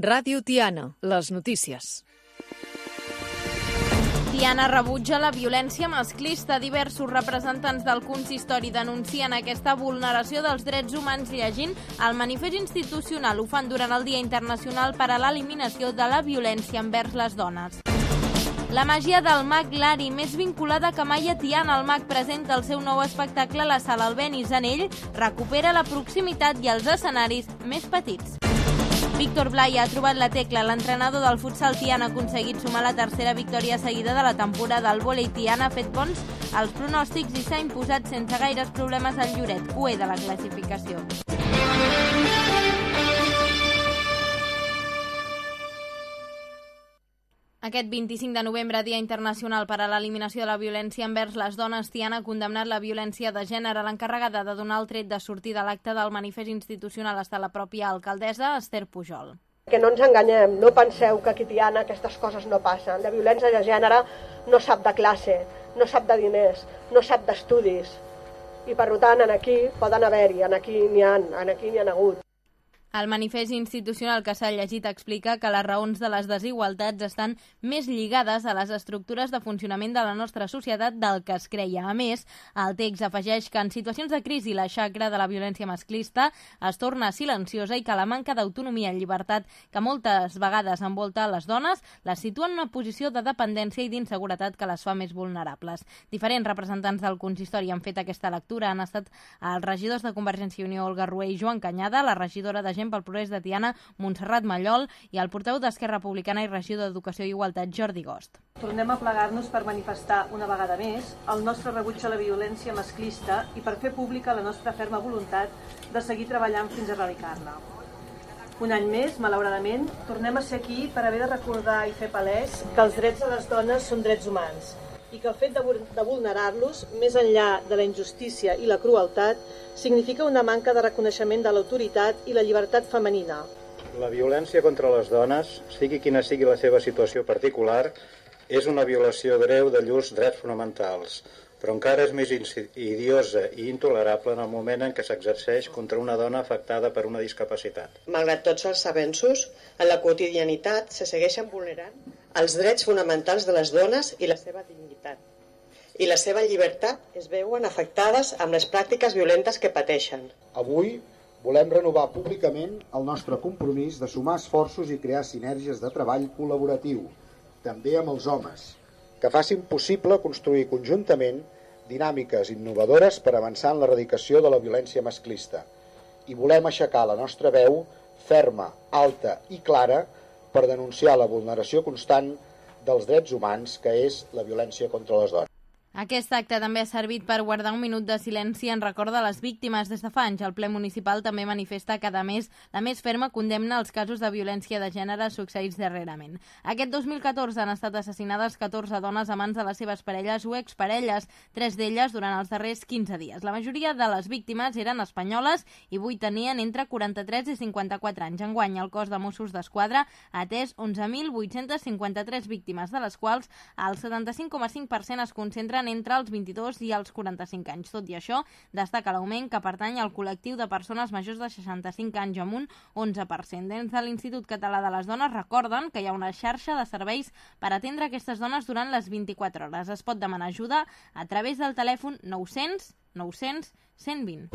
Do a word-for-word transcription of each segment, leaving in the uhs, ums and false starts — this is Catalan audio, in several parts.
Ràdio Tiana, les notícies. Tiana rebutja la violència masclista. Diversos representants del consistori denuncien aquesta vulneració dels drets humans llegint el manifest institucional. Ho fan durant el Dia Internacional per a l'Eliminació de la Violència envers les Dones. La màgia del mag Lari, més vinculada que mai a Tiana. El mag presenta el seu nou espectacle a la sala Albéniz. En ell recupera la proximitat i els escenaris més petits. Víctor Blay ha trobat la tecla. L'entrenador del futsal Tiana ha aconseguit sumar la tercera victòria seguida de la temporada. El vòlei Tiana ha fet bons als pronòstics i s'ha imposat sense gaires problemes al Lloret, U E de la classificació. Aquest vint-i-cinc de novembre, Dia Internacional per a l'Eliminació de la Violència envers les Dones, Tiana ha condemnat la violència de gènere. L'encarregada de donar el tret de sortir de l'acte del manifest institucional ha estat la pròpia alcaldessa, Esther Pujol. Que no ens enganyem, no penseu que aquí a Tiana aquestes coses no passen. La violència de gènere no sap de classe, no sap de diners, no sap d'estudis. I per tant, aquí poden haver-hi, aquí n'hi ha, aquí n'hi ha hagut. El manifest institucional que s'ha llegit explica que les raons de les desigualtats estan més lligades a les estructures de funcionament de la nostra societat del que es creia. A més, el text afegeix que en situacions de crisi la xacra de la violència masclista es torna silenciosa i que la manca d'autonomia i llibertat que moltes vegades envolta les dones les situa en una posició de dependència i d'inseguretat que les fa més vulnerables. Diferents representants del consistori han fet aquesta lectura. Han estat els regidors de Convergència i Unió, Olga Rué i Joan Canyada, la regidora de pel Progrés de Tiana, Montserrat Mallol, i el portaveu d'Esquerra Republicana i regidor d'Educació i Igualtat, Jordi Gost. Tornem a plegar-nos per manifestar una vegada més el nostre rebuig a la violència masclista i per fer pública la nostra ferma voluntat de seguir treballant fins a erradicar-la. Un any més, malauradament, tornem a ser aquí per haver de recordar i fer palès que els drets de les dones són drets humans i que el fet de vulnerar-los, més enllà de la injustícia i la crueltat, significa una manca de reconeixement de l'autoritat i la llibertat femenina. La violència contra les dones, sigui quina sigui la seva situació particular, és una violació greu de llurs drets fonamentals, però encara és més idiosa i intolerable en el moment en què s'exerceix contra una dona afectada per una discapacitat. Malgrat tots els avenços, en la quotidianitat se segueixen vulnerant els drets fonamentals de les dones i la seva dignitat. I la seva llibertat es veuen afectades amb les pràctiques violentes que pateixen. Avui volem renovar públicament el nostre compromís de sumar esforços i crear sinergies de treball col·laboratiu, també amb els homes, que facin possible construir conjuntament dinàmiques innovadores per avançar en l'erradicació de la violència masclista. I volem aixecar la nostra veu ferma, alta i clara per denunciar la vulneració constant dels drets humans, que és la violència contra les dones. Aquest acte també ha servit per guardar un minut de silenci en record de les víctimes. Des de fa anys, el ple municipal també manifesta cada mes la més ferma condemna als casos de violència de gènere succeïts darrerament. Aquest dos mil catorze han estat assassinades catorze dones a mans de les seves parelles o exparelles, tres d'elles durant els darrers quinze dies. La majoria de les víctimes eren espanyoles i vuit tenien entre quaranta-tres i cinquanta-quatre anys. Enguany, el cos de Mossos d'Esquadra ha atès onze mil vuit-cents cinquanta-tres víctimes, de les quals el setanta-cinc coma cinc per cent es concentren entre els vint-i-dos i els quaranta-cinc anys. Tot i això, destaca l'augment que pertany al col·lectiu de persones majors de seixanta-cinc anys amb un onze per cent. Dins de l'Institut Català de les Dones recorden que hi ha una xarxa de serveis per atendre aquestes dones durant les vint-i-quatre hores. Es pot demanar ajuda a través del telèfon nou-cents nou-cents cent vint.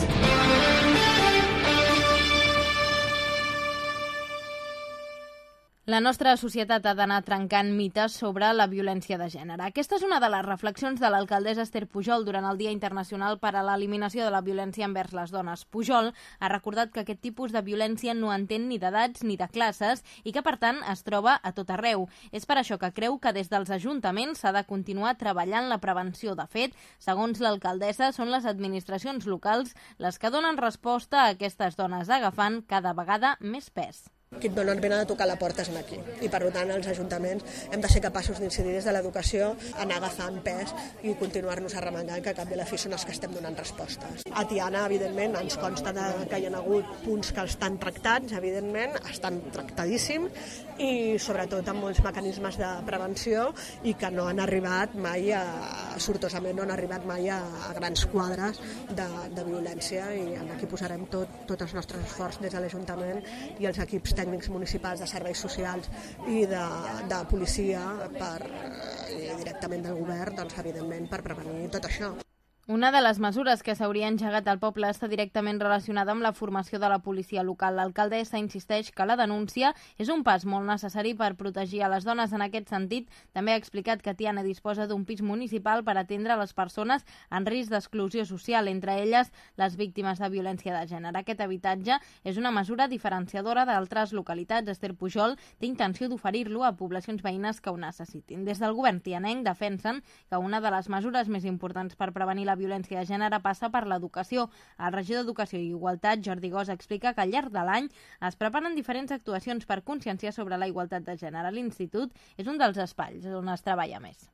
La nostra societat ha d'anar trencant mites sobre la violència de gènere. Aquesta és una de les reflexions de l'alcaldessa Esther Pujol durant el Dia Internacional per a l'Eliminació de la Violència envers les Dones. Pujol ha recordat que aquest tipus de violència no entén ni d'edats ni de classes i que, per tant, es troba a tot arreu. És per això que creu que des dels ajuntaments s'ha de continuar treballant la prevenció. De fet, segons l'alcaldessa, són les administracions locals les que donen resposta a aquestes dones, agafant cada vegada més pes. Qui et donen pena de tocar la porta és aquí i per tant els ajuntaments hem de ser capaços d'incidir des de l'educació, anar agafant pes i continuar-nos arremangant, que a cap de la fi són els que estem donant respostes. A Tiana, evidentment, ens consta que hi ha hagut punts que estan tractats, evidentment, estan tractadíssims i sobretot amb molts mecanismes de prevenció i que no han arribat mai, a, sortosament no han arribat mai a, a grans quadres de, de violència, i aquí posarem tot, tot els nostres esforços des de l'Ajuntament i els equips tècnics municipals de serveis socials i de, de policia per, eh, directament del govern, doncs, evidentment, per prevenir tot això. Una de les mesures que s'hauria engegat al poble està directament relacionada amb la formació de la policia local. L'alcaldessa insisteix que la denúncia és un pas molt necessari per protegir a les dones. En aquest sentit, també ha explicat que Tiana disposa d'un pis municipal per atendre les persones en risc d'exclusió social, entre elles les víctimes de violència de gènere. Aquest habitatge és una mesura diferenciadora d'altres localitats. Esther Pujol té intenció d'oferir-lo a poblacions veïnes que ho necessitin. Des del govern tianenc defensen que una de les mesures més importants per prevenir la violència de gènere passa per l'educació. El regidor d'Educació i Igualtat, Jordi Gós, explica que al llarg de l'any es preparen diferents actuacions per conscienciar sobre la igualtat de gènere. L'Institut és un dels espais on es treballa més.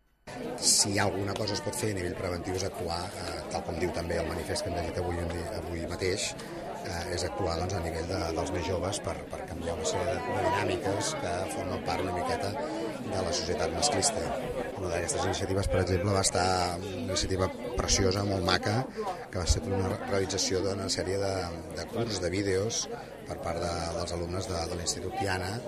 Si alguna cosa es pot fer a nivell preventiu és actuar, eh, tal com diu també el manifest que hem llegit avui, avui mateix, eh, és actuar doncs, a nivell de, dels més joves per, per canviar una sèrie de, de dinàmiques que formen part una miqueta de la societat masclista. Una d'aquestes iniciatives, per exemple, va estar una iniciativa preciosa, molt maca, que va ser una realització d'una sèrie de, de curs, de vídeos, per part de, dels alumnes de, de l'Institut Tiana,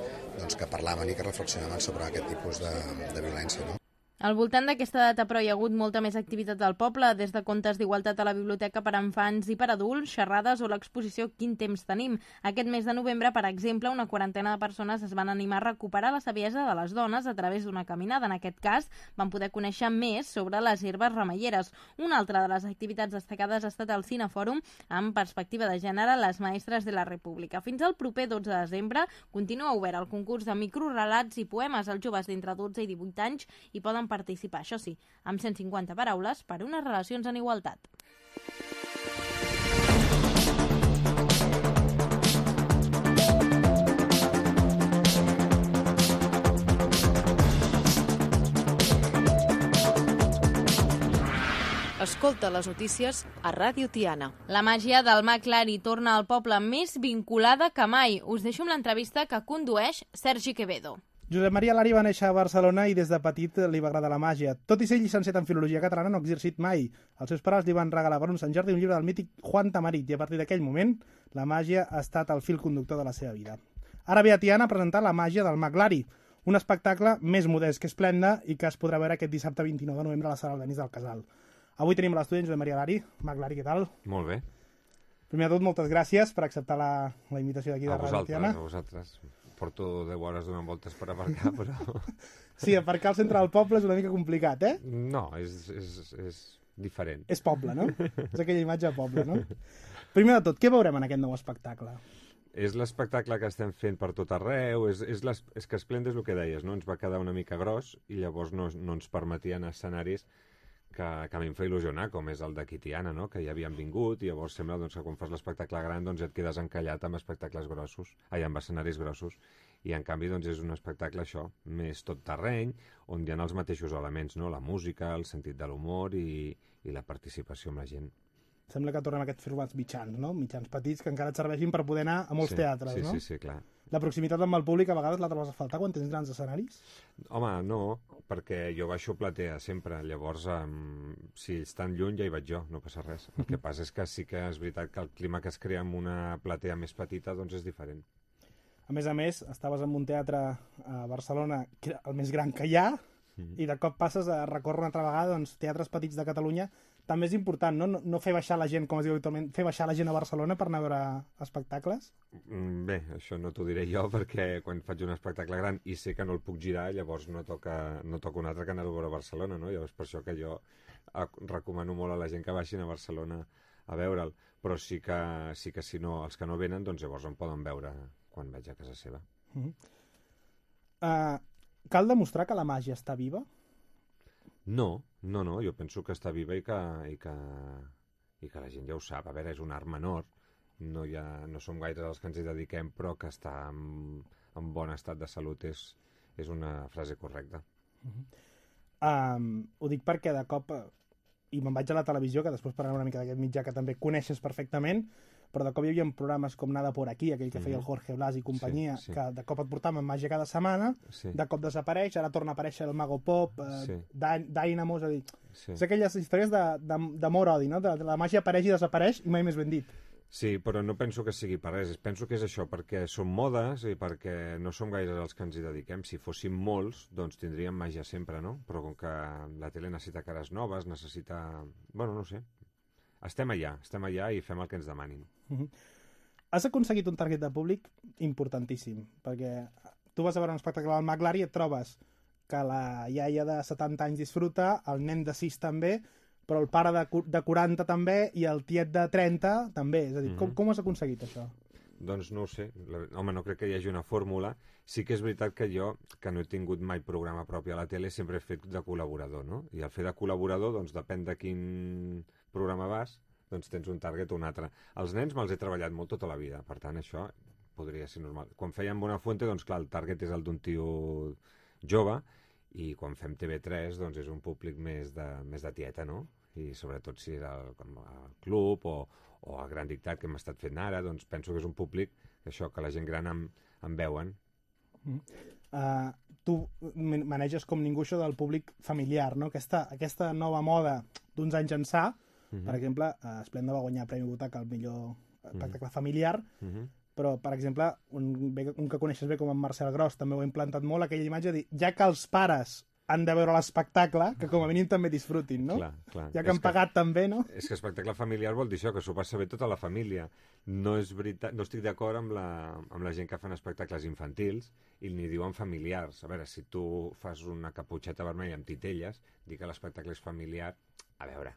doncs, que parlaven i que reflexionaven sobre aquest tipus de, de violència, no? Al voltant d'aquesta data, però, hi ha hagut molta més activitat al poble, des de contes d'igualtat a la biblioteca per a infants i per a adults, xerrades o l'exposició Quin temps tenim. Aquest mes de novembre, per exemple, una quarantena de persones es van animar a recuperar la saviesa de les dones a través d'una caminada. En aquest cas, van poder conèixer més sobre les herbes remeieres. Una altra de les activitats destacades ha estat el Cinefòrum amb perspectiva de gènere Les Maestres de la República. Fins al proper dotze de desembre continua obert el concurs de microrelats i poemes. Els joves d'entre dotze i divuit anys hi poden participar, això sí, amb cent cinquanta paraules per unes relacions en igualtat. Escolta les notícies a Ràdio Tiana. La màgia del Mag Lari torna al poble més vinculada que mai. Us deixo amb l'entrevista que condueix Sergi Quevedo. Josep Maria Lari va néixer a Barcelona i des de petit li va agradar la màgia. Tot i ser llicenciat en Filologia Catalana, no ha exercit mai. Els seus pares li van regalar per un Sant Jordi un llibre del mític Juan Tamarit i a partir d'aquell moment la màgia ha estat el fil conductor de la seva vida. Ara ve a Tiana a presentar La màgia del Mag Lari, un espectacle més modest que esplenda i que es podrà veure aquest dissabte vint-i-nou de novembre a la sala Albéniz del Casal. Avui tenim a l'estudi Josep Maria Lari. Mag Lari, què tal? Molt bé. Primer de tot, moltes gràcies per acceptar la, la invitació d'aquí de Ràdio Tiana. A vosaltres. Porto deu hores donant voltes per aparcar, però... Sí, aparcar al centre del poble és una mica complicat, eh? No, és, és, és diferent. És poble, no? És aquella imatge de poble, no? Primer de tot, què veurem en aquest nou espectacle? És l'espectacle que estem fent per tot arreu, és, és, les, és que Esplenda és el que deies, no? Ens va quedar una mica gros i llavors no, no ens permetien escenaris que, que a mi em fa il·lusionar, com és el d'aquí Tiana, no? Que ja havien vingut i llavors sembla doncs, que quan fas l'espectacle gran doncs, et quedes encallat amb espectacles grossos, ai, amb escenaris grossos, i en canvi doncs, és un espectacle això, més tot terreny, on hi ha els mateixos elements, no? La música, el sentit de l'humor i, i la participació amb la gent. Sembla que tornem a aquests formats mitjans, no? Mitjans petits que encara et serveixin per poder anar a molts sí, teatres, sí, no? Sí, sí, clar. La proximitat amb el públic a vegades la trobes a faltar quan tens grans escenaris? Home, no, perquè jo baixo a platea sempre, llavors um, si ells estan lluny ja hi vaig jo, no passa res. El que passa és que sí que és veritat que el clima que es crea amb una platea més petita doncs és diferent. A més a més, estaves en un teatre a Barcelona, que era el més gran que hi ha, mm. i de cop passes a recórrer una altra vegada doncs, teatres petits de Catalunya. També és important, no? No, no fer baixar la gent, com es diu habitualment, fer baixar la gent a Barcelona per anar a veure espectacles? Bé, això no t'ho diré jo, perquè quan faig un espectacle gran i sé que no el puc girar, llavors no toca, no toca un altre que anar a veure a Barcelona, no? Llavors per això que jo recomano molt a la gent que baixin a Barcelona a veure'l, però sí que, sí que si no, els que no venen, doncs llavors em poden veure quan vaig a casa seva. Uh-huh. uh, cal demostrar que la màgia està viva? No, no, no, jo penso que està viva i que, i que, i que la gent ja ho sap. A veure, és un art menor, no, ha, no som gaires els que ens hi dediquem, però que està en, en bon estat de salut és, és una frase correcta. Uh-huh. um, ho dic perquè de cop, i me'n vaig a la televisió, que després parlarem una mica d'aquest mitjà que també coneixes perfectament, però de cop hi havia programes com Nada por aquí, aquell que feia el Jorge Blas i companyia, sí, sí. que de cop et portaven màgia cada setmana, sí. de cop desapareix, ara torna a aparèixer el Mago Pop, eh, sí. Dynamo, és a dir, sí. és aquelles històries d'amor-odi, no? De, de la màgia apareix i desapareix i mai més ben dit. Sí, però no penso que sigui per res. Penso que és això, perquè són modes i perquè no som gaire els que ens hi dediquem. Si fóssim molts, doncs tindríem màgia sempre, no? Però com que la tele necessita cares noves, necessita... Bueno, no sé. Estem allà, estem allà i fem el que ens demanin. Uh-huh. Has aconseguit un target de públic importantíssim, perquè tu vas a veure un espectacle al Maclari i et trobes que la iaia de setanta anys disfruta, el nen de sis també, però el pare de, de quaranta també i el tiet de trenta també. És a dir, mm-hmm. com, com has aconseguit això? Doncs no ho sé. Home, no crec que hi hagi una fórmula. Sí que és veritat que jo, que no he tingut mai programa propi a la tele, sempre he fet de col·laborador, no? I al fer de col·laborador, doncs depèn de quin programa vas, doncs tens un target o un altre. Els nens me'ls he treballat molt tota la vida, per tant, això podria ser normal. Quan fèiem Buenafuente, doncs clar, el target és el d'un tio jove, i quan fem T V tres, doncs és un públic més de, més de tieta, no? I sobretot si és el, el club o, o el Gran Dictat que hem estat fent ara, doncs penso que és un públic que això, que la gent gran em, em veuen. Mm. Uh, tu maneges com ningú això del públic familiar, no? Aquesta, aquesta nova moda d'uns anys ençà, mm-hmm. per exemple, uh, Esplenda va guanyar Premi Butaca al millor espectacle mm-hmm. familiar, mm-hmm. però, per exemple, un, un que coneixes bé com en Marcel Gros també ho ha implantat molt, aquella imatge de dir, ja que els pares han de veure l'espectacle, que com a mínim també disfrutin, no? Clar, clar. Ja que han pagat que, també, no? És que espectacle familiar vol dir això, que s'ho passa bé tota la família. No és veritat, no estic d'acord amb, la, amb la gent que fan espectacles infantils i n'hi diuen familiars. A veure, si tu fas una caputxeta vermella amb titelles, dir que l'espectacle és familiar, a veure...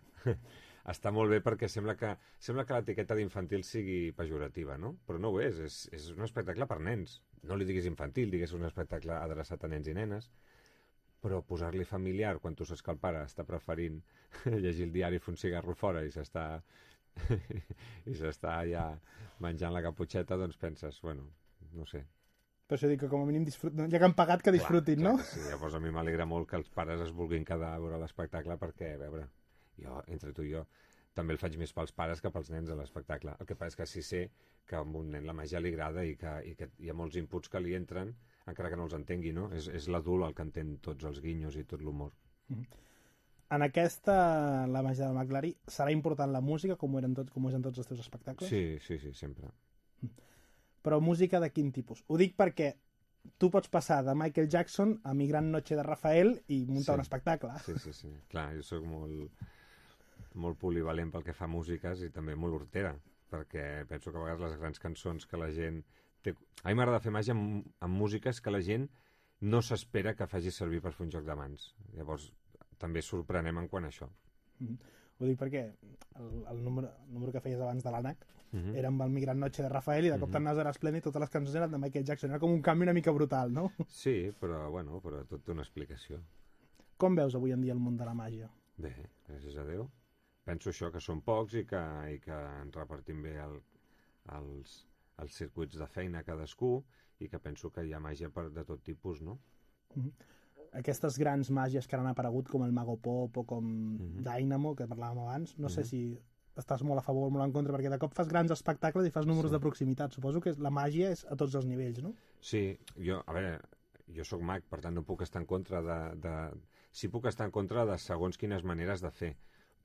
Està molt bé perquè sembla que, sembla que l'etiqueta d'infantil sigui pejorativa, no? Però no ho és, és, és un espectacle per nens. No li diguis infantil, digues un espectacle adreçat a nens i nenes, però posar-li familiar quan tu saps que el pare està preferint llegir el diari i fer un cigarro fora i s'està i s'està ja menjant la caputxeta, doncs penses, bueno, no sé. Per això dic que com a mínim disfrutin, ja que han pagat que disfrutin, clar, no? Clar, sí, llavors a mi m'alegra molt que els pares es vulguin quedar a veure l'espectacle perquè, a veure, jo, entre tu i jo, també el faig més pels pares que pels nens a l'espectacle. El que passa és que sí sé que a un nen la màgia li agrada i que, i que hi ha molts inputs que li entren, encara que no els entengui, no? És, és l'adult el que entén tots els guinyos i tot l'humor. Mm-hmm. En aquesta, la màgia del Maclari, serà important la música, com ho, eren tot, com ho és en tots els teus espectacles? Sí, sí, sí, sempre. Però música de quin tipus? Ho dic perquè tu pots passar de Michael Jackson a Mi gran noche de Rafael i muntar sí. un espectacle. Sí, sí, sí. Clar, jo soc molt, molt polivalent pel que fa a músiques i també molt hortera, perquè penso que a vegades les grans cançons que la gent... Té... A mi m'agrada fer màgia amb, amb músiques que la gent no s'espera que faci servir per fer un joc de mans. Llavors, també sorprenem en quant a això. Mm-hmm. Ho dic perquè el, el, número, el número que feies abans de l'ànec mm-hmm. era amb el Mi gran noche de Rafael i de cop mm-hmm. t'anaves a l'Esplèndid i totes les cançons eren de Michael Jackson. Era com un canvi una mica brutal, no? Sí, però, bueno, però tot té una explicació. Com veus avui en dia el món de la màgia? Bé, gràcies a Déu. Penso això, que són pocs i que, i que ens repartim bé el, els, els circuits de feina cadascú i que penso que hi ha màgia per, de tot tipus, no? Mm-hmm. Aquestes grans màgies que han aparegut com el Mago Pop o com mm-hmm. Dynamo, que parlàvem abans, no mm-hmm. sé si estàs molt a favor o molt en contra, perquè de cop fas grans espectacles i fas números sí. de proximitat. Suposo que la màgia és a tots els nivells, no? Sí, jo, a veure, jo sóc mag, per tant no puc estar en contra de... de... Sí puc estar en contra de segons quines maneres de fer,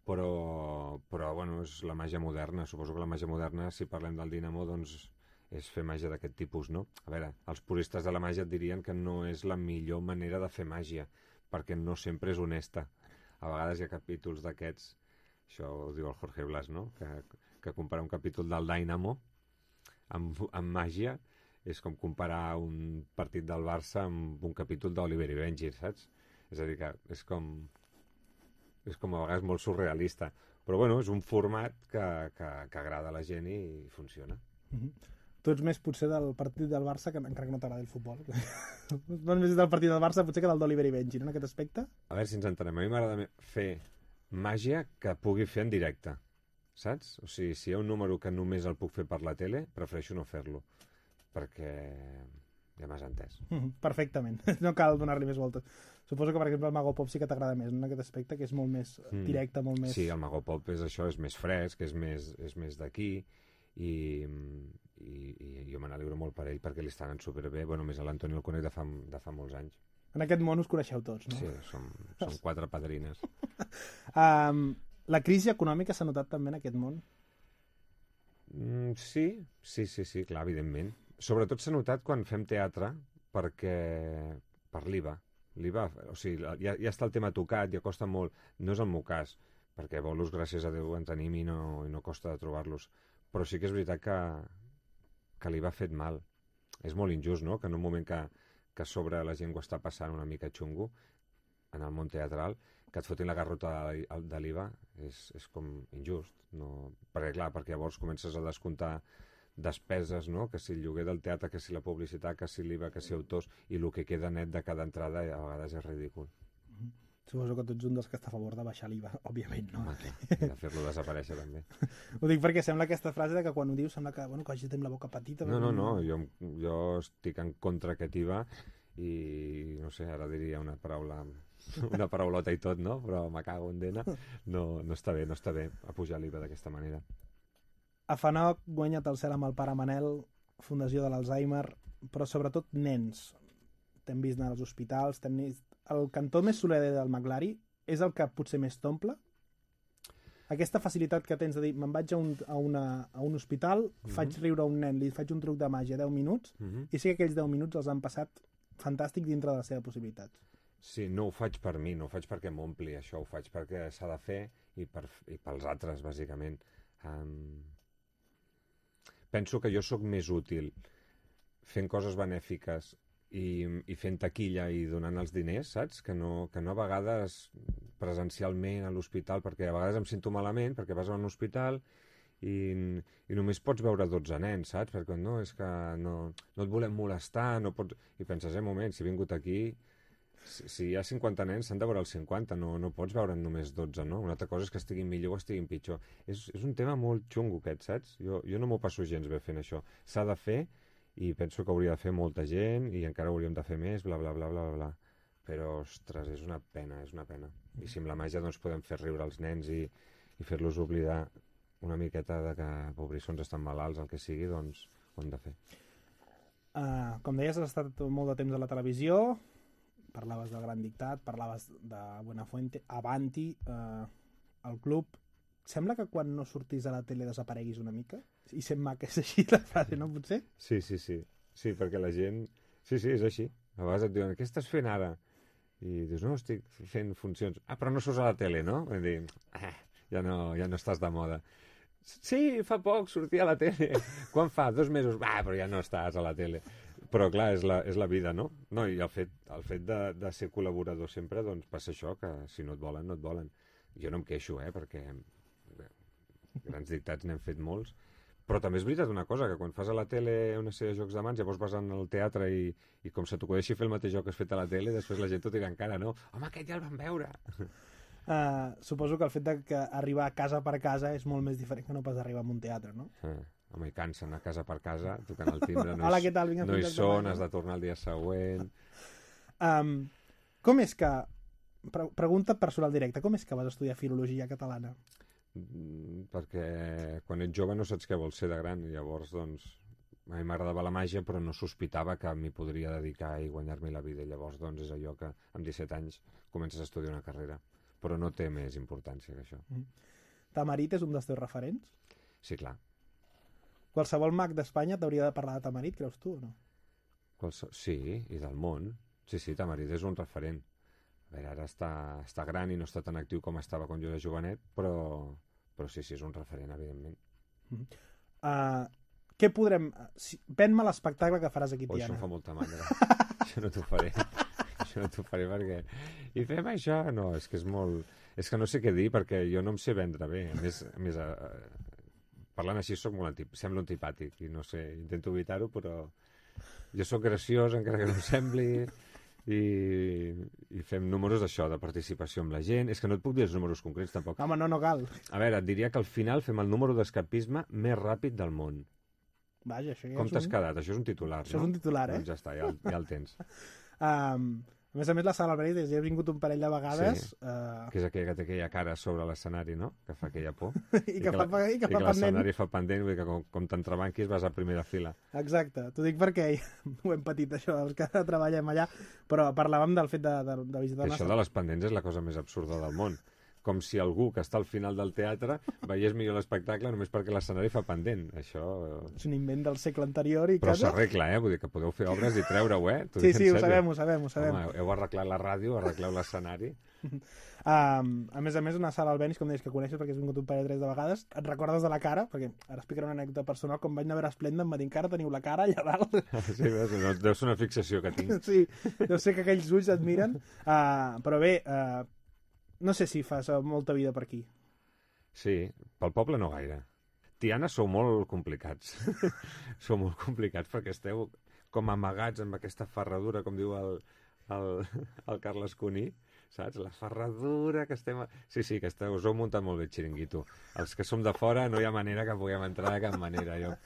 però, però bueno, és la màgia moderna. Suposo que la màgia moderna, si parlem del Dynamo, doncs és fer màgia d'aquest tipus, no? A veure, els puristes de la màgia et dirien que no és la millor manera de fer màgia, perquè no sempre és honesta. A vegades hi ha capítols d'aquests, això ho diu el Jorge Blas, no? Que, que comparar un capítol del Dynamo amb, amb màgia és com comparar un partit del Barça amb un capítol d'Oliver i Benji, saps? És a dir, que és com... és com a vegades molt surrealista. Però bueno, és un format que, que, que agrada a la gent i funciona. Mm-hmm. Tu ets més potser del partit del Barça, que encara que no t'agrada el futbol. No més del partit del Barça potser que del d'Oliver i Benji, no, en aquest aspecte? A veure si ens entenem. A mi m'agrada fer màgia que pugui fer en directe, saps? O sigui, si hi ha un número que només el puc fer per la tele, prefereixo no fer-lo, perquè ja m'has entès. Mm-hmm, perfectament. No cal donar-li més voltes. Suposo que, per exemple, el Mago Pop sí que t'agrada més, no, en aquest aspecte, que és molt més mm. directe, molt més... Sí, el Mago Pop és això, és més fresc, és més, és més d'aquí, i, i, i jo me n'alegro molt per ell perquè li estan superbé, bueno, més a l'Antoni el conec de fa, de fa molts anys. En aquest món us coneixeu tots, no? Sí, som, som quatre padrines. um, la crisi econòmica s'ha notat també en aquest món? Mm, sí, sí, sí, sí, clar, evidentment. Sobretot s'ha notat quan fem teatre perquè per l'I V A. L'I V A, o sigui, ja, ja està el tema tocat, ja costa molt. No és el meu cas, perquè bolos, gràcies a Déu, en tenim i no, i no costa de trobar-los. Però sí que és veritat que, que l'I V A ha fet mal. És molt injust, no?, que en un moment que, que a sobre la gent ho està passant una mica xungo, en el món teatral, que et fotin la garrota de l'I V A és, és com injust. No? Perquè, clar, perquè llavors comences a descomptar despeses, no?, que si el lloguer del teatre, que si la publicitat, que si l'I V A, que si autors, i el que queda net de cada entrada a vegades és ridícul. Mm-hmm. Suposo que tu ets un dels que està a favor de baixar l'I V A, òbviament, no? Home, clar, de fer-lo desaparèixer també. Ho dic perquè sembla aquesta frase de que quan ho dius sembla que, bueno, que hagi tenim la boca petita. No, no, no, jo, jo estic en contra aquest I V A i, no sé, ara diria una paraula, una paraulota i tot, no? Però me cago en dena. No, no està bé, no està bé a pujar l'I V A d'aquesta manera. A Fanoc guanya't el cel amb el pare Manel, Fundació de l'Alzheimer, però sobretot nens. T'hem vist anar als hospitals, t'hem vist... El cantó més soler del Maglari és el que potser més t'omple? Aquesta facilitat que tens de dir, me'n vaig a un, a una, a un hospital, mm-hmm. faig riure a un nen, li faig un truc de màgia deu minuts, mm-hmm. i sé que aquells deu minuts els han passat fantàstic dintre de les seves possibilitats. Sí, no ho faig per mi, no ho faig perquè m'ompli, això ho faig perquè s'ha de fer i, per, i pels altres, bàsicament. Um... Penso que jo sóc més útil fent coses benèfiques i, i fent taquilla i donant els diners, saps? Que no, que no a vegades presencialment a l'hospital, perquè a vegades em sento malament, perquè vas a un hospital i, i només pots veure dotze nens, saps? Perquè no, és que no, no et volem molestar, no pots... I penses, eh, un moment, si he vingut aquí... Si, si hi ha cinquanta nens, s'han de veure els cinquanta, no, no pots veure'n només dotze, no? Una altra cosa és que estiguin millor o estiguin pitjor. És, és un tema molt xungo aquest, saps? Jo, jo no m'ho passo gens bé fent això. S'ha de fer i penso que hauria de fer molta gent i encara hauríem de fer més, bla, bla, bla, bla, bla. Però, ostres, és una pena, és una pena. I si amb la màgia doncs, podem fer riure els nens i, i fer-los oblidar una miqueta de que pobrissons estan malalts, el que sigui, doncs ho hem de fer. Uh, com deies, has estat molt de temps a la televisió, parlaves del Gran Dictat, parlaves de Buenafuente, Avanti, uh, el club... Sembla que quan no sortis a la tele desapareguis una mica? I sent maca és així la frase, no potser? Sí, sí, sí. Sí, perquè la gent... Sí, sí, és així. A vegades et diuen, què estàs fent ara? I dius, no, estic fent funcions. Ah, però no surts a la tele, no? I dic, ah, ja no, ja no estàs de moda. Sí, fa poc sortia a la tele. Quan fa? Dos mesos? Ah, però ja no estàs a la tele. Però clar, és la, és la vida, no? No, i el fet, el fet de, de ser col·laborador sempre, doncs passa això, que si no et volen, no et volen. Jo no em queixo, eh, perquè bé, grans dictats n'hem fet molts, però també és veritat una cosa, que quan fas a la tele una sèrie de jocs de mans, llavors vas al teatre i, i com se t'acudeixi fer el mateix joc que has fet a la tele, després la gent t'ho tira en cara, no? Home, aquest ja el vam veure! Uh, suposo que el fet de que arribar casa per casa és molt més diferent que no pas arribar a un teatre, no? Ah. Home, i cansen a casa per casa, tocant el timbre, no, Hola, hi, tal? Vinga, no hi són, has de tornar el dia següent... Um, com és que... Pre pregunta personal directa, com és que vas estudiar filologia catalana? Mm, perquè quan ets jove no saps què vols ser de gran, i llavors, doncs, a mi m'agradava la màgia, però no sospitava que m'hi podria dedicar i guanyar-me la vida, i llavors, doncs, és allò que amb disset anys comences a estudiar una carrera, però no té més importància que això. Mm. Tamarit és un dels teus referents? Sí, clar. Qualsevol mag d'Espanya t'hauria de parlar de Tamarit, creus tu, o no? Qualse... Sí, i del món. Sí, sí, Tamarit és un referent. A veure, ara està, està gran i no està tan actiu com estava quan jo era jovenet, però, però sí, sí, és un referent, evidentment. Mm. Uh, què podrem... Si... Ven-me l'espectacle que faràs aquí, oh, Tiana. Això em fa molta mandra. Això no t'ho faré. Això no t'ho faré perquè... I fem això? No, és que és molt... És que no sé què dir perquè jo no em sé vendre bé. A més, a més uh, parlant així soc molt antip... semblo antipàtic i no sé, intento evitar-ho, però jo sóc graciós encara que no em sembli i, i fem números d'això, de participació amb la gent. És que no et puc dir els números concrets tampoc. Home, no, no cal. A veure, et diria que al final fem el número d'escapisme més ràpid del món. Vaja, això ja Com t'has un... quedat? Això és un titular, això no? Això és un titular, eh? Doncs ja està, ja, el, ja el tens. um, a més a més, la Sala Alberides, ja he vingut un parell de vegades. Sí, uh... que és aquella que té aquella cara sobre l'escenari, no? Que fa aquella por. I, I que, que fa, la, i que, i fa que l'escenari fa pendent, vull dir que com, com t'entrebanquis vas a primera fila. Exacte, t'ho dic perquè ho hem patit, això, els que treballem allà, però parlàvem del fet de, de, de visitar... Això de les pendents és la cosa més absurda del món. com si algú que està al final del teatre veiés millor l'espectacle només perquè l'escenari fa pendent. Això... És un invent del segle anterior i... Però casa... s'arregla, eh? Vull dir que podeu fer obres i treure-ho, eh? Sí, sí, ho sabem, ho sabem, ho sabem. Home, heu arreglat la ràdio, arregleu l'escenari. Um, a més a més, una sala al Benis, com deies, que coneixes perquè has vingut un parell o tres de vegades, et recordes de la cara, perquè ara explicaré una anècdota personal, com vaig anar a veure Esplenda em va dir, encara teniu la cara allà dalt. Sí, deu ser una fixació que tinc. Sí, deu ser que aquells ulls et miren. Uh, però bé, uh, no sé si fas molta vida per aquí. Sí, pel poble no gaire. Tiana sou molt complicats. Sou molt complicats perquè esteu com amagats amb aquesta ferradura, com diu el, el, el Carles Cuní, saps? La ferradura que estem... Sí, sí, que esteu, us heu muntat molt bé el xiringuito. Els que som de fora no hi ha manera que puguem entrar de cap manera. Jo...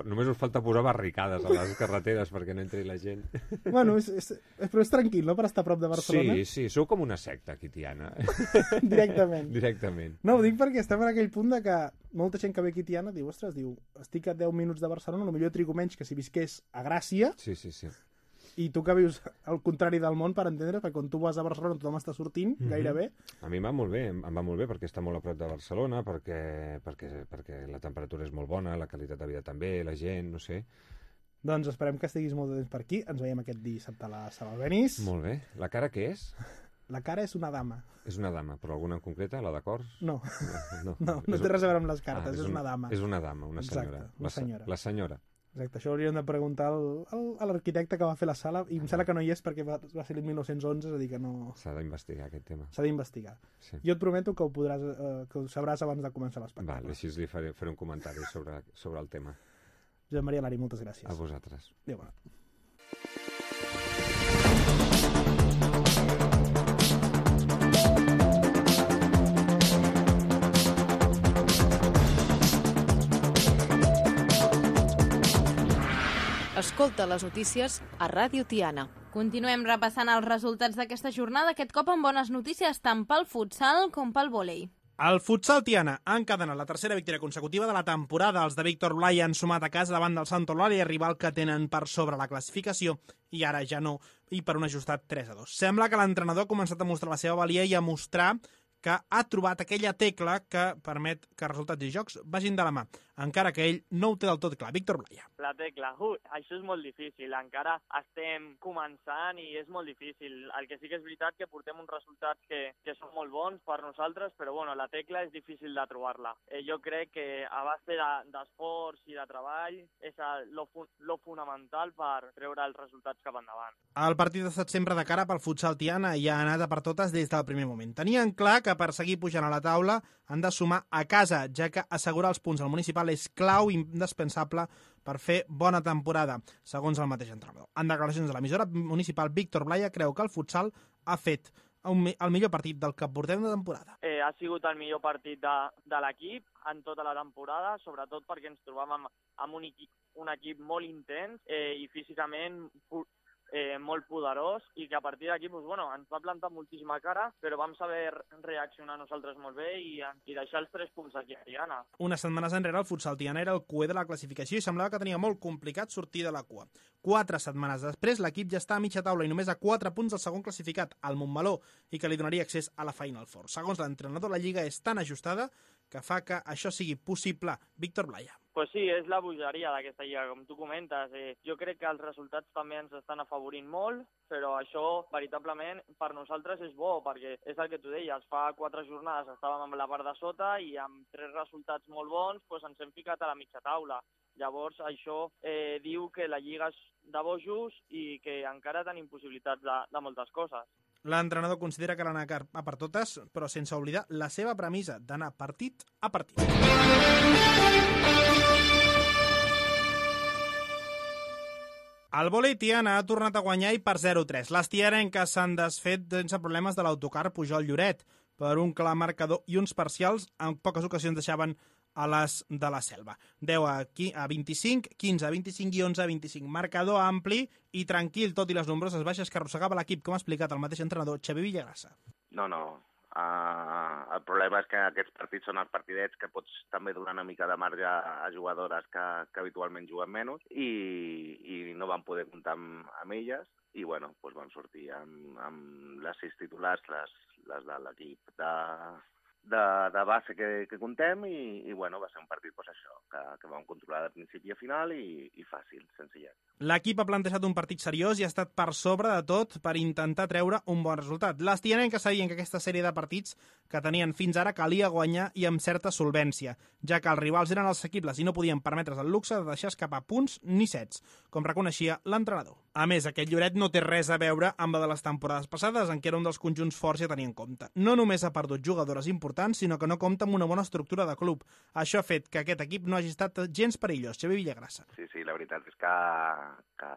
Només us falta posar barricades a les carreteres perquè no entri la gent. Bueno, és, és, però és tranquil, no?, per estar a prop de Barcelona. Sí, sí, sou com una secta aquí, Tiana. Directament. Directament. No, ho dic perquè estem en aquell punt de que molta gent que ve aquí a Tiana diu, ostres, diu, estic a deu minuts de Barcelona, potser trigo menys que si visqués a Gràcia. Sí, sí, sí. I tu que vius al contrari del món, per entendre, perquè quan tu vas a Barcelona tothom està sortint, mm-hmm. gairebé. A mi em va molt bé, em va molt bé perquè està molt a prop de Barcelona, perquè, perquè, perquè la temperatura és molt bona, la qualitat de vida també, la gent, no sé. Doncs esperem que estiguis molt de temps per aquí. Ens veiem aquest dissabte a la Sala Albéniz. Molt bé. La cara què és? La cara és una dama. És una dama, però alguna en concreta? La de cors? No. No, no, no té res a veure amb les cartes, ah, és, és una dama. És una dama, una senyora. Exacte, una senyora. La, la senyora. Exacte, això hauríem de preguntar al, al, a l'arquitecte que va fer la sala, i em sembla que no hi és perquè va, va ser el mil nou-cents onze, és a dir que no... S'ha d'investigar aquest tema. S'ha d'investigar. Sí. Jo et prometo que ho, podràs, eh, que ho sabràs abans de començar l'espectacle. Vale, així li faré, faré un comentari sobre, sobre el tema. Josep Maria Lari, moltes gràcies. A vosaltres. Adéu, bona. Escolta les notícies a Ràdio Tiana. Continuem repassant els resultats d'aquesta jornada, aquest cop amb bones notícies tant pel futsal com pel vòlei. El futsal Tiana ha encadenat la tercera victòria consecutiva de la temporada. Els de Víctor Blai han sumat a casa davant del Sant Eulàlia, rival que tenen per sobre la classificació, i ara ja no, i per un ajustat tres a dos. Sembla que l'entrenador ha començat a mostrar la seva valia i a mostrar que ha trobat aquella tecla que permet que resultats i jocs vagin de la mà, encara que ell no ho té del tot clar. Víctor Blaya. La tecla, uh, això és molt difícil, encara estem començant i és molt difícil. El que sí que és veritat que portem uns resultats que, que són molt bons per nosaltres, però bueno, la tecla és difícil de trobar-la. Eh, jo crec que a base d'esforç de, i de treball és lo, lo fonamental per treure els resultats cap endavant. El partit ha estat sempre de cara pel futsal Tiana i ha anat a per totes des del primer moment. Tenien clar que per seguir pujant a la taula han de sumar a casa, ja que assegurar els punts al municipal és clau i indispensable per fer bona temporada, segons el mateix entrenador. En declaracions de l'emissora municipal, Víctor Blaya creu que el futsal ha fet un, el millor partit del que portem de temporada. Eh, ha sigut el millor partit de, de l'equip en tota la temporada, sobretot perquè ens trobàvem amb un equip, un equip molt intens eh, i físicament Eh, molt poderós, i que a partir d'aquí doncs, bueno, ens va plantar moltíssima cara, però vam saber reaccionar nosaltres molt bé i, i deixar els tres punts aquí a Tiana. Unes setmanes enrere el futsal Tiana era el cuer de la classificació i semblava que tenia molt complicat sortir de la cua. Quatre setmanes després l'equip ja està a mitja taula i només a quatre punts del segon classificat, el Montmeló, i que li donaria accés a la Final Four. Segons l'entrenador, la lliga és tan ajustada que fa que això sigui possible. Víctor Blaya. Pues sí, és la bogeria d'aquesta lliga, com tu comentes. Eh, jo crec que els resultats també ens estan afavorint molt, però això veritablement per nosaltres és bo, perquè és el que tu deies, fa quatre jornades estàvem amb la part de sota i amb tres resultats molt bons pues ens hem ficat a la mitja taula. Llavors això eh, diu que la lliga és de bojos i que encara tenim possibilitats de, de moltes coses. L'entrenador considera que l'anar a per totes, però sense oblidar la seva premissa d'anar partit a partit. El vòlei Tiana ha tornat a guanyar i per zero a tres. Les tiarenques s'han desfet sense problemes de l'autocar Pujol-Lloret per un clar marcador i uns parcials en poques ocasions deixaven a les de la Selva. deu a vint-i-cinc, quinze a vint-i-cinc i onze a vint-i-cinc. Marcador ampli i tranquil, tot i les nombroses baixes que arrossegava l'equip, com ha explicat el mateix entrenador Xavier Villagrassa. No, no. Uh, el problema és que aquests partits són els partidets que pots també donar una mica de marge a jugadores que, que habitualment juguen menys i, i no van poder comptar amb, amb elles i bueno, doncs vam sortir amb, amb les sis titulars, les, les de l'equip de, de, de base que, que contem i, i bueno, va ser un partit pues, això, que, que vam controlar de principi a final i, i fàcil, senzillet. L'equip ha plantejat un partit seriós i ha estat per sobre de tot per intentar treure un bon resultat. Les tianenques sabien que aquesta sèrie de partits que tenien fins ara calia guanyar i amb certa solvència, ja que els rivals eren assequibles i no podien permetre's el luxe de deixar escapar punts ni sets, com reconeixia l'entrenador. A més, aquest Lloret no té res a veure amb la de les temporades passades, en què era un dels conjunts forts a tenir en compte. No només ha perdut jugadores importants, sinó que no compta amb una bona estructura de club. Això ha fet que aquest equip no hagi estat gens perillós. Xavier Villagrassa. Sí, sí, la veritat és que, que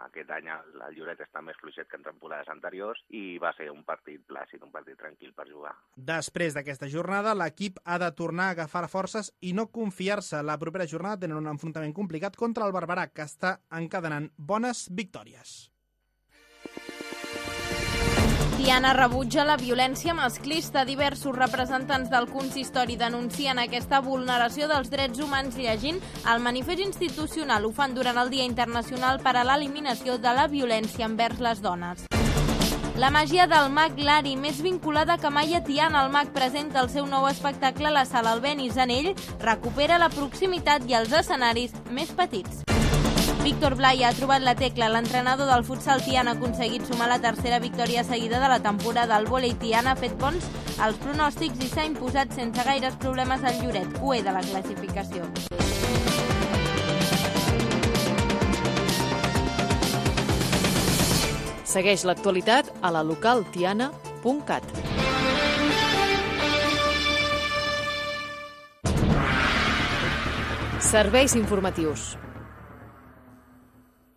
aquest any el, el Lloret està més fluixet que en temporades anteriors i va ser un partit plàcid, un partit tranquil per jugar. Després d'aquesta jornada, l'equip ha de tornar a agafar forces i no confiar-se. La propera jornada tenen un enfrontament complicat contra el Barberà, que està encadenant bones victòries. Tiana rebutja la violència masclista. Diversos representants del consistori denuncien aquesta vulneració dels drets humans llegint el manifest institucional. Ho fan durant el Dia Internacional per a l'eliminació de la violència envers les dones. La màgia del mag Lari, més vinculada que mai a Tiana. El mag presenta el seu nou espectacle a la sala Albéniz. En ell recupera la proximitat i els escenaris més petits. Víctor Blay ha trobat la tecla. L'entrenador del futsal Tiana ha aconseguit sumar la tercera victòria seguida de la temporada. El vòlei Tiana ha fet bons als pronòstics i s'ha imposat sense gaires problemes al Lloret, U E de la classificació. Segueix l'actualitat a la local tiana punt cat. Serveis informatius.